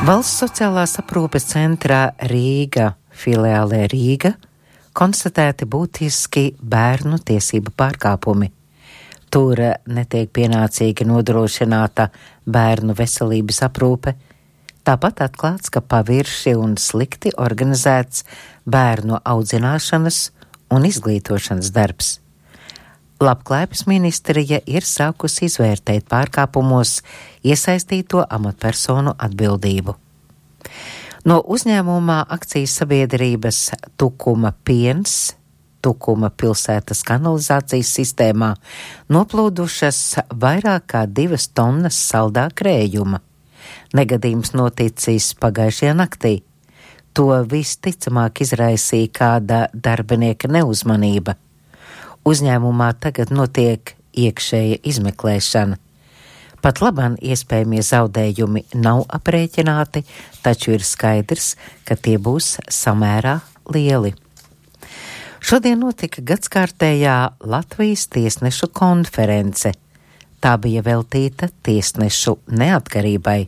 Valsts sociālās aprūpes centrā Rīga, filiālē Rīga, konstatēti būtiski bērnu tiesību pārkāpumi. Tur netiek pienācīgi nodrošināta bērnu veselības aprūpe, tāpat atklāts, ka pavirši un slikti organizēts bērnu audzināšanas un izglītošanas darbs. Labklājības ministrija ir sākusi izvērtēt pārkāpumos iesaistīto amatpersonu atbildību. No uzņēmumā akcijas sabiedrības Tukuma piens, Tukuma pilsētas kanalizācijas sistēmā noplūdušas vairāk kā 2 tonnas saldā krējuma. Negadījums noticis pagājušajā naktī. To visticamāk izraisīja kāda darbinieka neuzmanība. Uzņēmumā tagad notiek iekšēja izmeklēšana. Pat labāk iespējamie zaudējumi nav aprēķināti, taču ir skaidrs, ka tie būs samērā lieli. Šodien notika gadskārtējā Latvijas tiesnešu konference. Tā bija veltīta tiesnešu neatkarībai.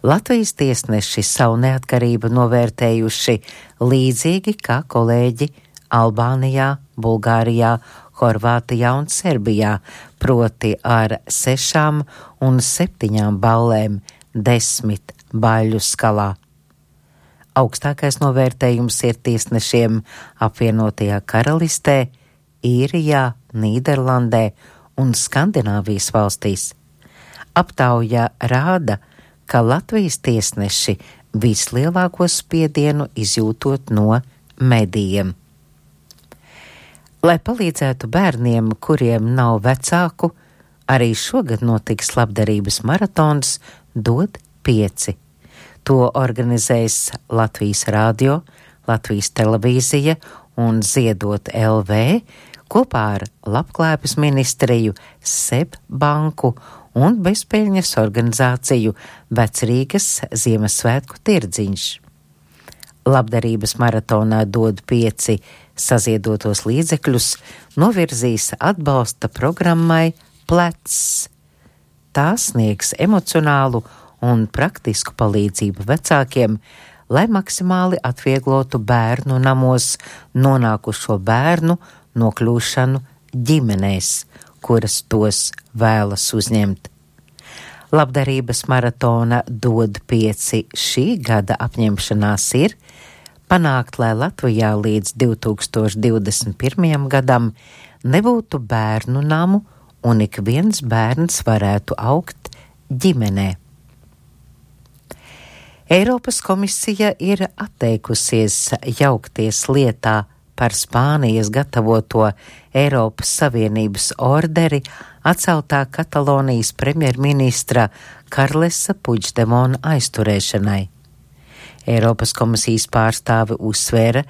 Latvijas tiesneši savu neatkarību novērtējuši līdzīgi kā kolēģi Albānijā, Bulgārijā, Horvātijā un Serbijā, proti ar 6 un 7 ballēm 10 baļu skalā. Augstākais novērtējums ir tiesnešiem apvienotajā Karalistē, Īrijā, Nīderlandē un Skandināvijas valstīs. Aptauja rāda, ka Latvijas tiesneši vislielāko spiedienu izjūtot no medijiem. Lai palīdzētu bērniem, kuriem nav vecāku, arī šogad notiks labdarības maratons Dod 5. To organizēs Latvijas radio, Latvijas televīzija un Ziedot LV kopā ar Labklājības ministriju, SEB banku un bezpeļņas organizāciju Vecrīgas Ziemassvētku tirdziņš. Labdarības maratonā Dod 5 saziedotos līdzekļus novirzīs atbalsta programmai Plecs. Tā sniegs emocionālu un praktisku palīdzību vecākiem, lai maksimāli atvieglotu bērnu namos nonākušo bērnu nokļūšanu ģimenēs, kuras tos vēlas uzņemt. Labdarības maratona Dod 5 šī gada apņemšanās ir panākt, lai Latvijā līdz 2021. gadam nebūtu bērnu namu un ik viens bērns varētu augt ģimenē. Eiropas komisija ir atteikusies jaukties lietā par Spānijas gatavoto Eiropas Savienības orderi atceltā Katalonijas premjerministra Karlesa Puigdemona aizturēšanai. Eiropas komisijas pārstāve uzsvēra,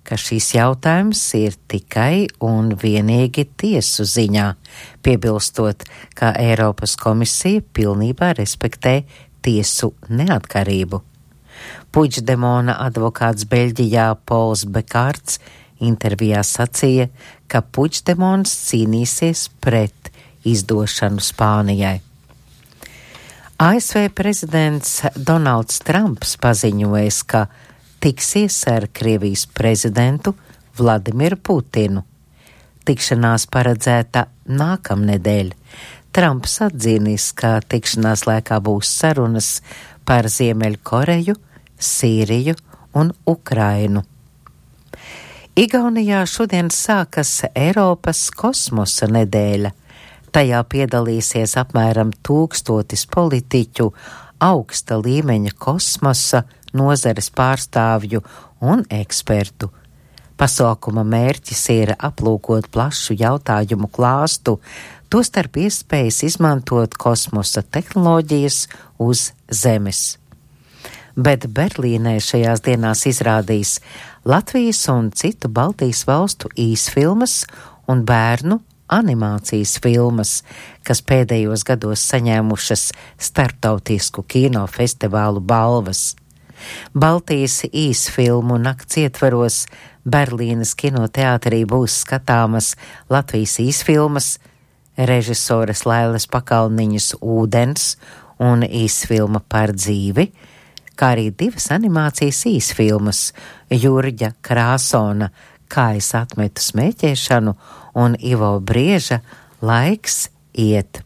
ka šīs jautājums ir tikai un vienīgi tiesu ziņā, piebilstot, ka Eiropas komisija pilnībā respektē tiesu neatkarību. Puigdemona advokāts Beļģijā Pols Bekārts intervijā sacīja, ka Puigdemons cīnīsies pret izdošanu Spānijai. ASV prezidents Donalds Trumps paziņojis, ka tiksies ar Krievijas prezidentu Vladimiru Putinu. Tikšanās paredzēta nākamnedēļ. Trumps atzīnis, ka tikšanās laikā būs sarunas par Ziemeļkoreju, Sīriju un Ukrainu. Igaunijā šodien sākas Eiropas kosmosa nedēļa. Tajā piedalīsies apmēram 1000 politiķu, augsta līmeņa kosmosa nozares pārstāvju un ekspertu. Pasaukuma mērķis ir aplūkot plašu jautājumu klāstu, tostarp iespējas izmantot kosmosa tehnoloģijas uz Zemes. Bet Berlīnē šajās dienās izrādīs Latvijas un citu Baltijas valstu īsfilmas un bērnu animācijas filmas, kas pēdējos gados saņēmušas starptautisku kinofestivālu balvas. Baltijas īsfilmu nakts ietvaros Berlīnes kinoteātrī būs skatāmas Latvijas īsfilmas, režisoras Lailes Pakalniņas Ūdens un īsfilma Par dzīvi, kā arī 2 animācijas īsfilmas Jurģa Krāsona Kā es atmetu smēķēšanu un Ivo Brieža Laiks iet.